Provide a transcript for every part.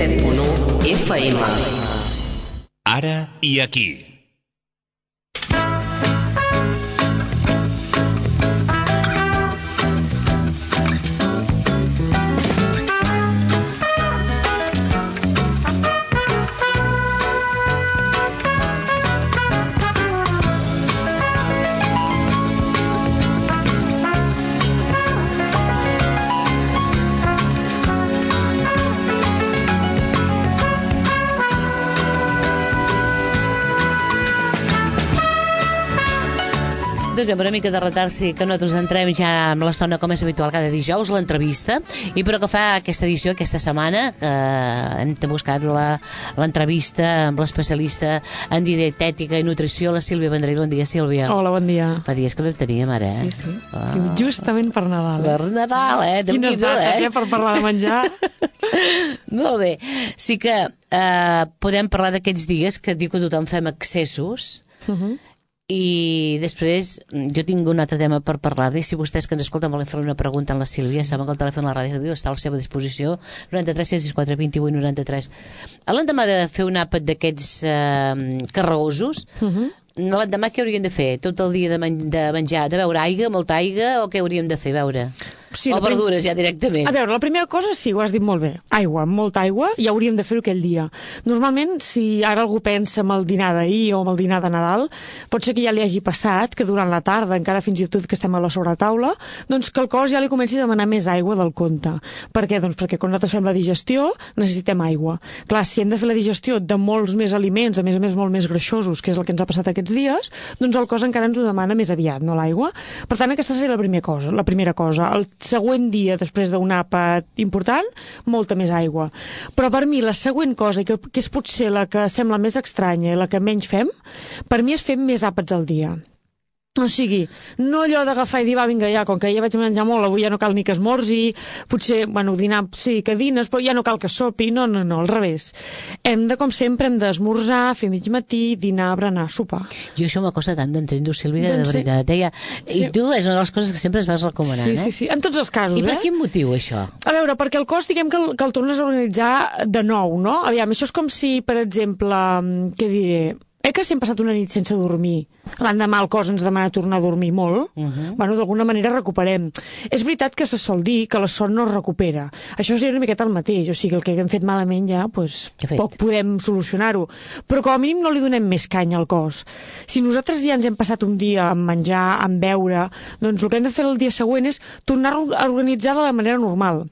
107.1 FM. Ara i aquí. Doncs bé, amb una mica de retard sí que nosaltres entrem ja amb l'estona com és habitual cada dijous, l'entrevista, i però que fa aquesta edició, aquesta setmana, hem buscat l'entrevista amb l'especialista en dietètica i nutrició, la Sílvia Vendrell. Bon dia, Sílvia. Hola, bon dia. Fa dies que no en teníem ara, Sí, sí. Justament per Nadal. Per Nadal, Quines dates, per parlar de menjar. Molt bé. Sí que podem parlar d'aquests dies que diu que tothom fem excessos, i després jo tinc un altre tema per parlar-hi. Si vostès que ens escolten volen fer una pregunta a la Sílvia, saben que el telèfon de la ràdio està a la seva disposició, 93 664 28 93. L'endemà de fer un àpat d'aquests carregosos, l'endemà què hauríem de fer? Tot el dia de menjar, de beure aigua, molta aigua, o què hauríem de fer, beure? Sí, o verdures ja directament? A veure, la primera cosa, sí, ho has dit molt bé. Aigua, molta aigua, i hauríem de fer-ho aquell dia. Normalment, si ara algú pensa en el dinar d'ahir o en el dinar de Nadal, pot ser que ja li hagi passat que durant la tarda, encara fins i tot que estem a la sobretaula, doncs que el cos ja li comenci a demanar més aigua del compte. Per què? Doncs perquè quan nosaltres fem la digestió necessitem aigua. Clar, si hem de fer la digestió de molts més aliments, a més molt més greixosos, que és el que ens ha passat aquests dies, doncs el cos encara ens ho demana més aviat, no l'aigua? Per tant, aquesta seria la primera cosa. El següent dia, després d'un àpat important, molta més aigua. Però per mi la següent cosa, que és potser la que sembla més estranya i la que menys fem, per mi és fer més àpats al dia. O sigui, no allò d'agafar i dir, va, vinga, ja, com que ja vaig menjar molt, avui ja no cal ni que esmorzi, potser, bueno, dinar, sí, que dines, però ja no cal que sopi, no, al revés. Com sempre, hem d'esmorzar, fer mig matí, dinar, berenar, sopar. Jo això m'ha costat tant d'entendre, Sílvia, de veritat. I tu és una de les coses que sempre es vas recomanant, Sí, en tots els casos, I per quin motiu, això? A veure, perquè el cos, diguem que el tornes a organitzar de nou, no? Aviam, això és com si, per exemple, què diré... que si hem passat una nit sense dormir, l'endemà el cos ens demana tornar a dormir molt, bueno, d'alguna manera recuperem. És veritat que se sol dir que la son no es recupera. Això seria una miqueta el mateix, o sigui, el que hem fet malament ja, doncs, poc podem solucionar-ho. Però com a mínim no li donem més canya al cos. Si nosaltres ja ens hem passat un dia amb menjar, amb beure, doncs el que hem de fer el dia següent és tornar-ho a organitzar de la manera normal.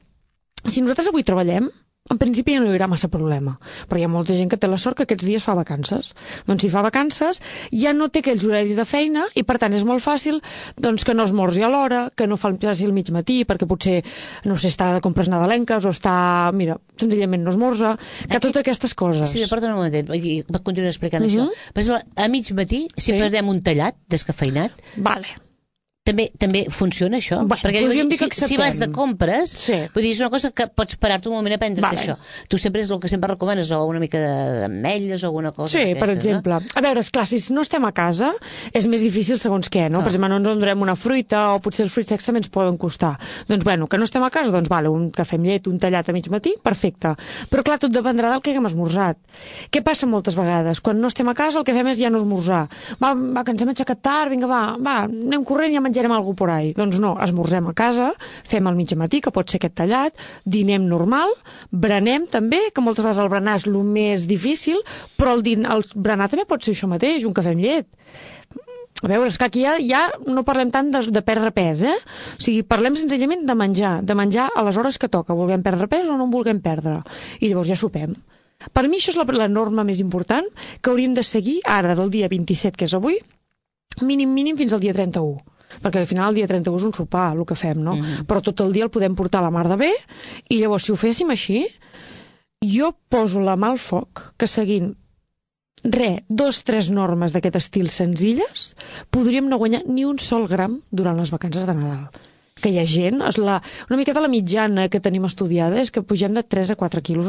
Si nosaltres avui treballem, en principi ja no hi haurà massa problema, però hi ha molta gent que té la sort que aquests dies fa vacances. Doncs si fa vacances ja no té aquells horaris de feina i per tant és molt fàcil doncs, que no esmorzi a l'hora, que no faci el mig matí perquè potser, no sé, està de compres nadalenques o està, mira, senzillament no esmorza, que totes aquestes coses. Sí, perdona un momentet, va continuar explicant això. Per exemple, a mig matí, si perdem un tallat descafeinat, vale. També funciona això? Bueno, perquè si vas de compres, vull dir, és una cosa que pots parar-te un moment a prendre això. Tu sempre és el que sempre recomanes, o una mica d'ametlles o alguna cosa d'aquestes, per exemple. No? A veure, esclar, si no estem a casa, és més difícil segons què, no? Per exemple, no ens endurem una fruita, o potser els fruits secs també ens poden costar. Doncs, bueno, que no estem a casa, doncs, vale, un cafè amb llet, un tallat a mig matí, perfecte. Però, clar, tot dependrà del que haguem esmorzat. Què passa moltes vegades? Quan no estem a casa, el que fem és ja no esmorzar. Va, que ens hem aixecat tard, vinga, va, anem corrent i ja menjarem alguna por ahí. Doncs no, esmorzem a casa, fem el mig matí, que pot ser aquest tallat, dinem normal, berenem també, que moltes vegades el berenar és el més difícil, però el berenar també pot ser això mateix, un cafè amb llet. A veure, és que aquí ja no parlem tant de perdre pes, O sigui, parlem senzillament de menjar a les hores que toca, vulguem perdre pes o no en vulguem perdre. I llavors ja sopem. Per mi això és la norma més important que hauríem de seguir ara, del dia 27, que és avui, mínim fins al dia 31. Perquè al final el dia 31 és un sopar, el que fem, no? Però tot el dia el podem portar a la mar de bé, i llavors, si ho féssim així, jo poso la mà al foc, que seguint 2-3 normes d'aquest estil senzilles, podríem no guanyar ni un sol gram durant les vacances de Nadal. Que hi ha gent, una mica de la mitjana que tenim estudiada és que pugem de 3 a 4 quilos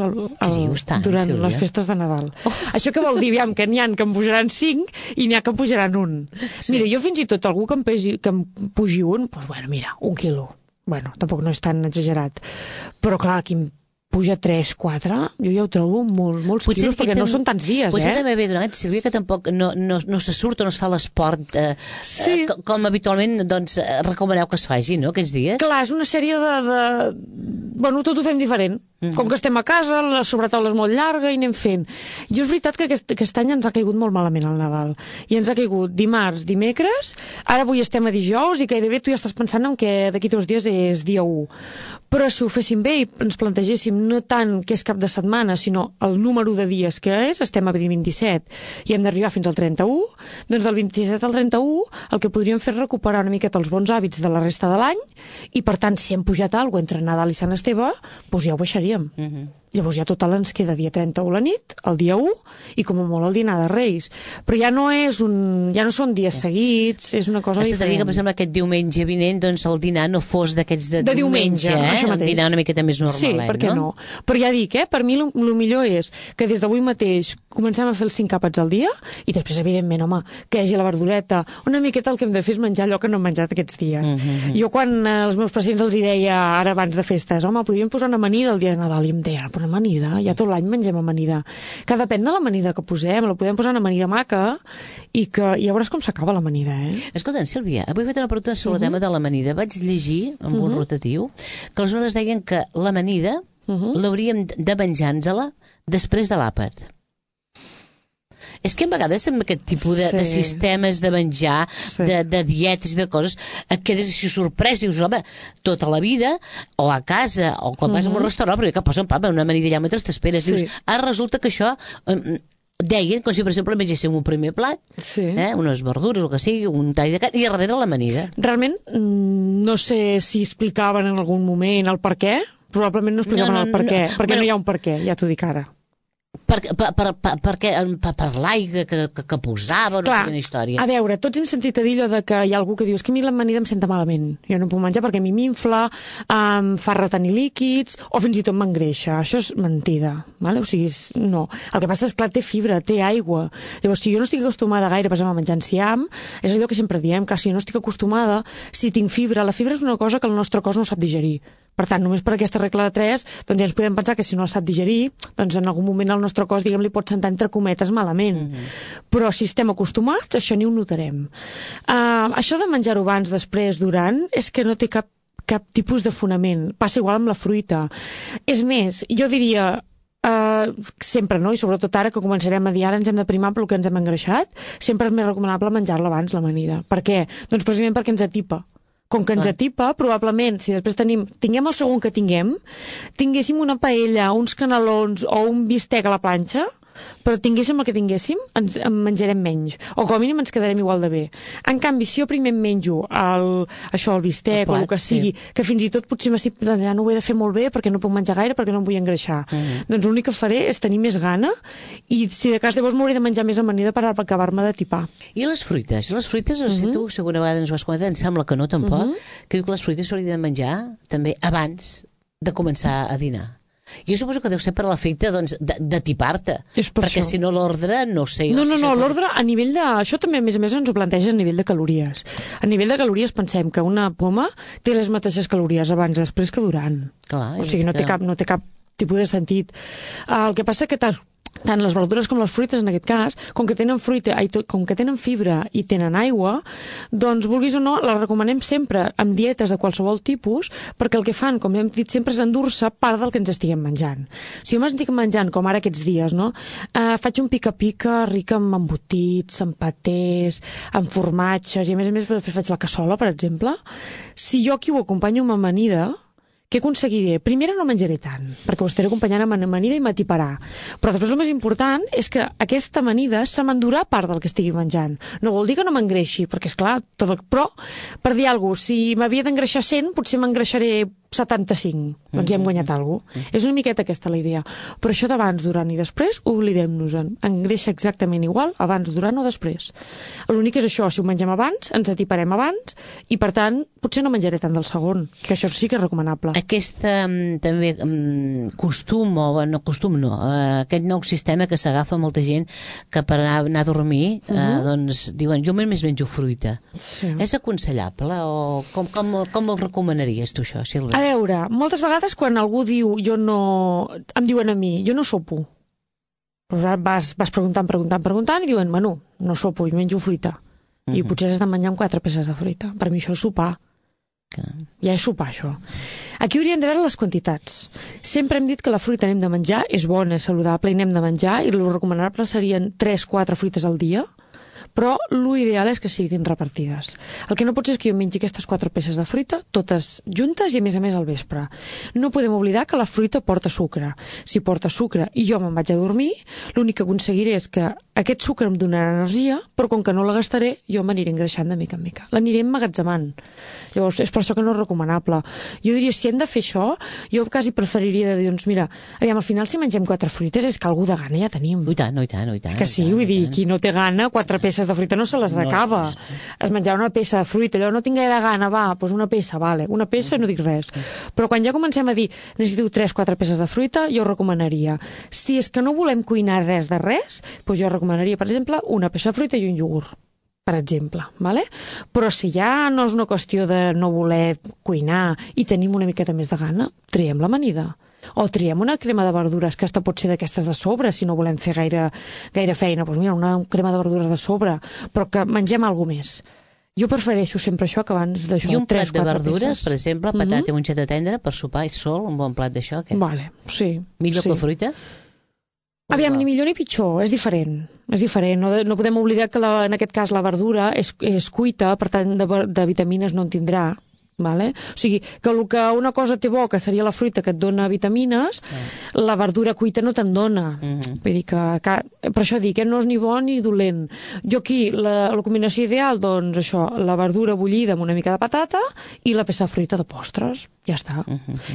durant les festes de Nadal. Això què vol dir? Que n'hi ha que em pujaran 5 i n'hi ha que em pujaran 1. Mira, jo fins i tot algú que em pugi 1, doncs bueno, mira, 1 quilo. Bueno, tampoc no és tan exagerat. Però clar, aquí puja 3, 4, jo ja ho trobo molts quilos, perquè no són tants dies, Potser també ve donat, Sílvia, que tampoc no se surt o no es fa l'esport com habitualment doncs, recomaneu que es faci, no?, aquests dies. Clar, és una sèrie de... Bueno, tot ho fem diferent. Com que estem a casa, la sobretaula és molt llarga i anem fent. Jo és veritat que aquest any ens ha caigut molt malament el Nadal. I ens ha caigut dimarts, dimecres, ara avui estem a dijous i gairebé tu ja estàs pensant en que d'aquí 2 dies és dia 1. Però si ho féssim bé i ens plantegéssim no tant que és cap de setmana, sinó el número de dies que és, estem a 27 i hem d'arribar fins al 31, doncs del 27 al 31 el que podríem fer és recuperar una miqueta els bons hàbits de la resta de l'any i, per tant, si hem pujat alguna cosa entre Nadal i Sant Esteve, doncs ja ho baixaríem. Llavors ja total ens queda dia 31 la nit, el dia 1 i com a molt el dinar de Reis. Però ja no són dies seguits, és una cosa diferent. Has de dir que, per exemple, aquest diumenge vinent doncs el dinar no fos d'aquests de diumenge, el dinar una miqueta més normalet, sí, per què no? Però ja dic, per mi el millor és que des d'avui mateix comencem a fer els 5 àpats al dia i després, evidentment, home, que hi hagi la verdureta. Una miqueta el que hem de fer és menjar allò que no hem menjat aquests dies. Jo quan als meus pacients els deia ara abans de festes, home, podríem posar una amanida el dia de Nadal, i em deia, però amanida, ja tot l'any mengem amanida. Que depèn de l'amanida que posem, la podem posar una amanida maca i ja veuràs com s'acaba l'amanida, Escolta, Sílvia, avui he fet una pregunta sobre el tema de l'amanida. Vaig llegir, amb un rotatiu, que aleshores deien que l'amanida l'hauríem de menjar-nos-la després de l'àpat. És que a vegades amb aquest tipus de sistemes de menjar, de dietes i de coses, et quedes així sorprès i dius, home, tota la vida, o a casa, o quan vas a un restaurant, però que posen una amanida allà mentre t'esperes. Dius, ara resulta que això... Deien, com si per exemple mengéssim un primer plat, unes verdures, el que sigui, un tall de carn, i a darrere l'amanida. Realment, no sé si explicaven en algun moment el per què, probablement no explicaven el per què, perquè no hi ha un per què, ja t'ho dic ara. Per l'aigua que posava, no sé quina història. A veure, tots hem sentit a dir allò de que hi ha algú que diu que a mi l'amanida em senta malament, jo no puc menjar perquè a mi m'infla, em fa retenir líquids o fins i tot m'engreixa. Això és mentida, vale? O sigui, no. El que passa és que té fibra, té aigua. Llavors, si jo no estic acostumada gaire a menjar enciam, és allò que sempre diem, que si jo no estic acostumada, si tinc fibra, la fibra és una cosa que el nostre cos no sap digerir. Per tant, només per aquesta regla de 3, doncs ja ens podem pensar que si no el sap digerir, doncs en algun moment el nostre cos, diguem, li pot sentar entre cometes malament. Però si estem acostumats, això ni ho notarem. Això de menjar-ho abans, després, durant, és que no té cap tipus de fonament. Passa igual amb la fruita. És més, jo diria... sempre, no? I sobretot ara que començarem a dir ara ens hem de primar pel que ens hem engreixat, sempre és més recomanable menjar-la abans, l'amanida. Per què? Doncs precisament perquè ens atipa. Com que ens atipa, probablement, si després tinguem el segon que tinguéssim una paella, uns canelons o un bistec a la planxa, però tinguéssim el que tinguéssim, en menjarem menys. O com a mínim ens quedarem igual de bé. En canvi, si jo primer em menjo el bistec o el que sigui, que fins i tot potser m'estic plantejant, no ho he de fer molt bé perquè no puc menjar gaire, perquè no em vull engreixar. Doncs l'únic que faré és tenir més gana i si de cas llavors m'hauré de menjar més amanida per acabar-me de tipar. I les fruites? Les fruites, no sé, tu segona vegada ens ho has comentat, em sembla que no tampoc, que diu que les fruites s'haurien de menjar també abans de començar a dinar. Jo suposo que deu ser per l'efecte de tipar-te, perquè si no l'ordre, no sé... No, l'ordre a nivell de... Això també, a més ens ho planteja a nivell de calories. A nivell de calories pensem que una poma té les mateixes calories abans, després que durant. Clar, o sigui, no té cap tipus de sentit. El que passa que tant les verdures com les fruites, en aquest cas, com que tenen fibra i tenen aigua, doncs, vulguis o no, les recomanem sempre amb dietes de qualsevol tipus, perquè el que fan, com hem dit sempre, és endur-se part del que ens estiguem menjant. Si jo m'estic menjant, com ara aquests dies, no? Faig un pica-pica ric amb embotits, amb patés, amb formatges, i a més després faig la cassola, per exemple. Si jo aquí ho acompanyo amb amanida, què aconseguiré? Primer no menjaré tant, perquè ho estaré acompanyant amb amanida i m'atiparà. Però després el més important és que aquesta amanida se m'endurà part del que estigui menjant. No vol dir que no m'engreixi, perquè esclar, però per dir alguna cosa, si m'havia d'engreixar 100, potser m'engreixaré 75. Doncs ja hem guanyat alguna cosa. És una miqueta aquesta la idea. Però això d'abans, durant i després, oblidem-nos-en. Engreixa exactament igual, abans, durant o després. L'únic és això, si ho mengem abans, ens atiparem abans, i per tant, potser no menjaré tant del segon, que això sí que és recomanable. Aquest també costum, aquest nou sistema que s'agafa molta gent que per anar a dormir, doncs diuen, jo més menjo fruita. És aconsellable o com ho recomanaries tu això, Sílvia? veure, moltes vegades quan algú diu em diuen a mi, jo no sopo. Vas preguntant i diuen, Manu, no sopo, jo menjo fruita. I potser has de menjar amb 4 peces de fruita. Per mi això és sopar. Ja és sopar, això. Aquí hauríem de veure les quantitats. Sempre hem dit que la fruita n'hem de menjar, és bona, és saludable i n'hem de menjar, i el recomanable serien 3-4 fruites al dia, però l'ideal és que siguin repartides. El que no pot ser és que jo mengi aquestes 4 peces de fruita, totes juntes i a més al vespre. No podem oblidar que la fruita porta sucre. Si porta sucre i jo me'n vaig a dormir, l'únic que aconseguiré és que aquest sucre em donarà energia, però com que no la gastaré, jo m'aniré engreixant de mica en mica. L'aniré emmagatzemant. Llavors, és per això que no és recomanable. Jo diria, si hem de fer això, jo quasi preferiria dir, doncs mira, aviam, al final si mengem 4 fruites és que algú de gana ja tenim. I tant. Que sí, vull dir, qui no té gana, 4 peces de fruita no se les acaba. Es menjar una peça de fruita, allò no tinc gaire gana, va, doncs una peça, vale. Una peça i no dic res. Però quan ja comencem a dir necessito 3-4 peces de fruita, jo recomanaria. Si és que no volem cuinar res de res, doncs jo recomanaria, per exemple, una peça de fruita i un iogurt, per exemple, vale? Però si ja no és una qüestió de no voler cuinar i tenim una miqueta més de gana, triem l'amanida. O triem una crema de verdures, que pot ser d'aquestes de sobre, si no volem fer gaire feina. Doncs mira, una crema de verdures de sobre, però que mengem alguna més. Jo prefereixo sempre això que abans d'això. I un plat de verdures, per exemple, patata i mongeta tendra, per sopar i sol, un bon plat d'això, què? Vale, sí. Millor que fruita? Aviam, ni millor ni pitjor, és diferent. És diferent, no podem oblidar que en aquest cas la verdura és cuita, per tant de vitamines no en tindrà. Vale? O sigui, que el que una cosa té bo, que seria la fruita que et dona vitamines, la verdura cuita no te'n dona. Vull dir que per això dic, no és ni bo ni dolent. Jo aquí, la combinació ideal, doncs això, la verdura bullida amb una mica de patata i la peça de fruita de postres. Ja està.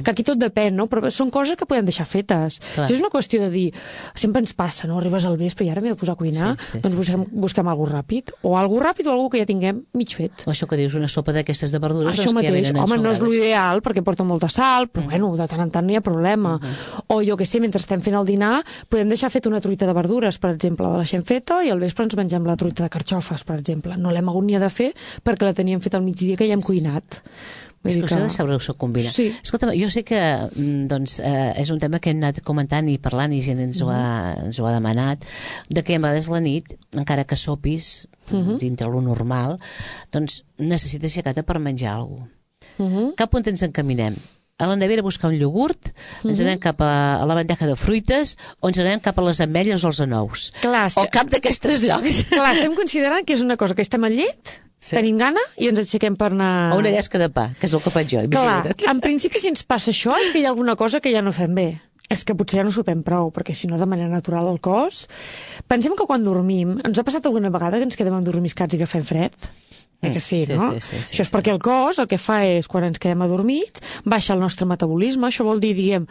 Que aquí tot depèn, no? Però són coses que podem deixar fetes. Si és una qüestió de dir, sempre ens passa, no? Arribes al vespre i ara m'he de posar a cuinar, doncs busquem alguna ràpid. O alguna ràpid o alguna que ja tinguem mig fet. O això que dius, una sopa d'aquestes de verdures, això mateix. Home, no és l'ideal perquè porta molta sal, però bueno, de tant en tant no hi ha problema. O jo que sé, mentre estem fent el dinar, podem deixar fet una truita de verdures, per exemple, la deixem feta i al vespre ens mengem la truita de carxofes, per exemple. No l'hem hagut ni de fer perquè la teníem feta al migdia que ja hem cuinat. És qüestió de saber-ho combinar. Sí. Escolta, jo sé que és un tema que hem anat comentant i parlant i gent ens ho ha demanat, de que a vegades la nit, encara que sopis dintre lo normal, doncs necessites aixecar-te per menjar alguna cosa. Cap on ens encaminem? A la nevera a buscar un iogurt, ens anem cap a la bandeja de fruites o ens anem cap a les ametlles o els anous. O cap d'aquests 3 llocs. Clar, estem considerant que és una cosa que estem al llit, tenim gana i ens aixequem per anar... O una llesca de pa, que és el que faig jo. Clar, en principi si ens passa això és que hi ha alguna cosa que ja no fem bé. És que potser ja no sopem prou, perquè si no de manera natural al cos... Pensem que quan dormim, ens ha passat alguna vegada que ens quedem endormiscats i que fem fred? Que sí, no? Sí, això és perquè el cos el que fa és, quan ens quedem adormits, baixa el nostre metabolisme. Això vol dir, diguem,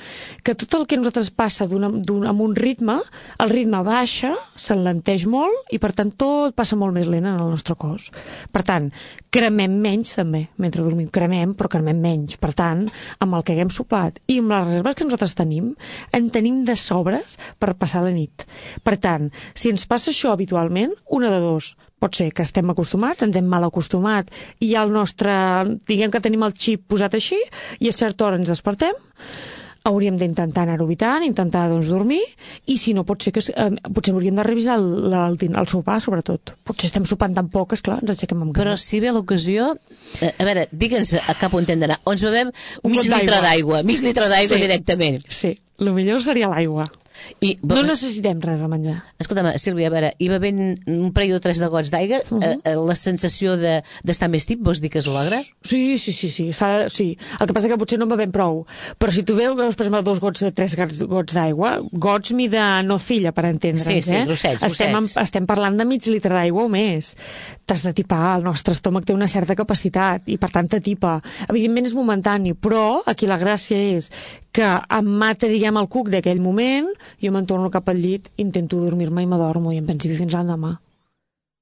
que tot el que a nosaltres passa amb un ritme, el ritme baixa, s'enlenteix molt i, per tant, tot passa molt més lent en el nostre cos. Per tant, cremem menys també, mentre dormim. Cremem, però cremem menys. Per tant, amb el que haguem sopat i amb les reserves que nosaltres tenim, en tenim de sobres per passar la nit. Per tant, si ens passa això habitualment, una de dos. Pot ser que estem acostumats, ens hem mal acostumat i ja el nostre, diguem que tenim el xip posat així i a certa hora ens despertem, hauríem d'intentar anar-ho evitant, intentar doncs, dormir, i si no pot ser que potser hauríem de revisar el sopar, sobretot. Potser estem sopant tan poc, esclar, ens aixequem amb gana. Però si ve l'ocasió, a veure, digue'ns a cap on hem d'anar. Ens bevem mig litre d'aigua directament. Sí, el millor seria l'aigua. No necessitem res de menjar. Escolta'm, Sílvia, a veure, i bevent un parell o 3 de gots d'aigua, la sensació d'estar més tip, vols dir que es logra? Sí. Sí. El que passa que potser no en bevem prou. Però si tu veus, per exemple, 2 gots, 3 gots d'aigua, gots mida nocilla, per entendre'ns, Sí, grossets. Estem parlant de mig litre d'aigua o més. T'has de tipar, el nostre estómac té una certa capacitat i per tant t'atipa. Evidentment és momentani, però aquí la gràcia és que em mata, diguem, el cuc d'aquell moment, jo me'n torno cap al llit, intento dormir-me i m'adormo i en principi fins l'endemà.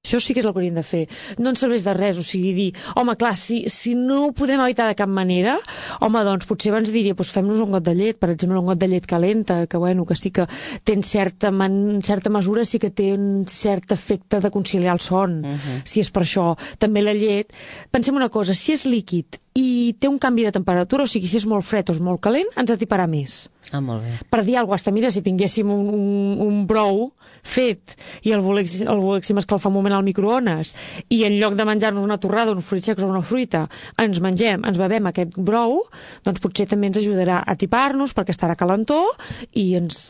Això sí que és el que hauríem de fer. No ens serveix de res, o sigui, dir, home, clar, si no ho podem evitar de cap manera, home, doncs potser abans diria, doncs fem-nos un got de llet, per exemple, un got de llet calenta, que bueno, que sí que té en certa mesura, sí que té un cert efecte de conciliar el son, si és per això. També la llet, pensem una cosa, si és líquid i té un canvi de temperatura, o sigui, si és molt fred o és molt calent, ens atiparà més. Molt bé. Per dir alguna cosa, mira, si tinguéssim un brou fet i el volguéssim escalfar un moment al microones i en lloc de menjar-nos una torrada, uns fruits secs o una fruita, ens bevem aquest brou, doncs potser també ens ajudarà a atipar-nos perquè estarà calentor i ens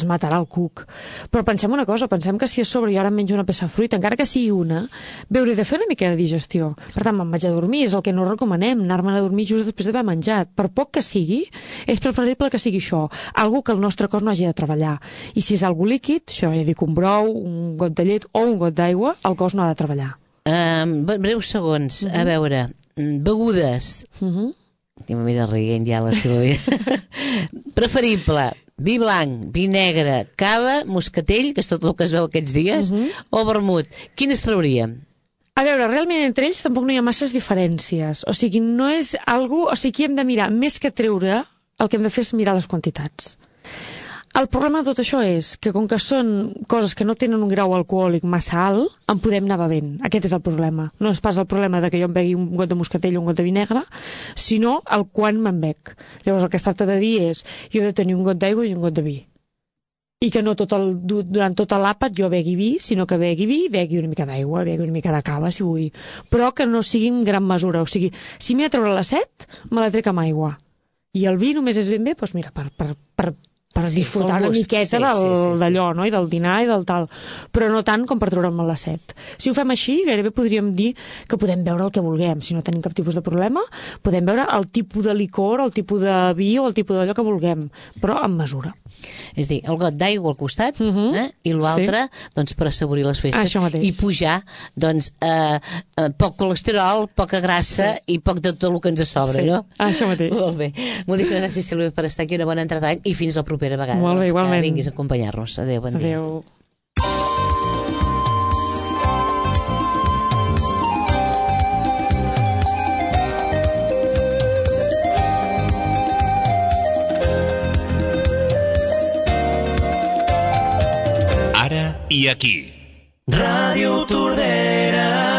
matarà el cuc. Però pensem una cosa, pensem que si a sobre jo ara em menjo una peça de fruita, encara que sigui una, hauré de fer una mica de digestió. Per tant, me'n vaig a dormir, és el que no recomanem, anar-me'n a dormir just després d'haver menjat. Per poc que sigui, és preferible que sigui això, algo que el nostre cos no hagi de treballar. I si és algo líquid, això ja dic, un brou, un got de llet o un got d'aigua, el cos no ha de treballar. Breus segons, a veure, begudes. Ja me mira rient ja la Sílvia. Preferible, vi blanc, vi negre, cava, moscatell, que és tot el que es veu aquests dies, o vermut. Quines trauríem? A veure, realment entre ells tampoc no hi ha masses diferències. O sigui, no és algo... O sigui, aquí hem de mirar, més que treure, el que hem de fer és mirar les quantitats. El problema de tot això és que com que són coses que no tenen un grau alcohòlic massa alt, en podem anar bevent. Aquest és el problema. No és pas el problema de que jo em begui un got de moscatell o un got de vi negre, sinó el quan me'n bec. Llavors el que es tracta de dir és jo he de tenir un got d'aigua i un got de vi. I que no durant tot l'àpat jo begui vi, sinó que begui vi, begui una mica d'aigua, begui una mica de cava, si vull. Però que no sigui en gran mesura. O sigui, si m'he de treure la set, me la trec amb aigua. I el vi només és ben bé, doncs mira, per disfrutar una miqueta d'allò, no? I del dinar i del tal, però no tant com per treure'm la set. Si ho fem així, gairebé podríem dir que podem beure el que vulguem, si no tenim cap tipus de problema, podem beure el tipus de licor, el tipus de vi o el tipus d'allò que vulguem, però amb mesura. És dir, el got d'aigua al costat i l'altre, doncs, per assaborir les festes. I pujar, doncs, poc colesterol, poca grassa i poc de tot el que ens sobra, no? Això mateix. Molt bé. Moltíssimes gràcies, Sílvia, per estar aquí. Una bona entrada d'any i fins la propera vegada. Molt bé, igualment. Que vinguis a acompanyar-nos. Adéu, bon dia. Adéu. Ara i aquí. Ràdio Tordera.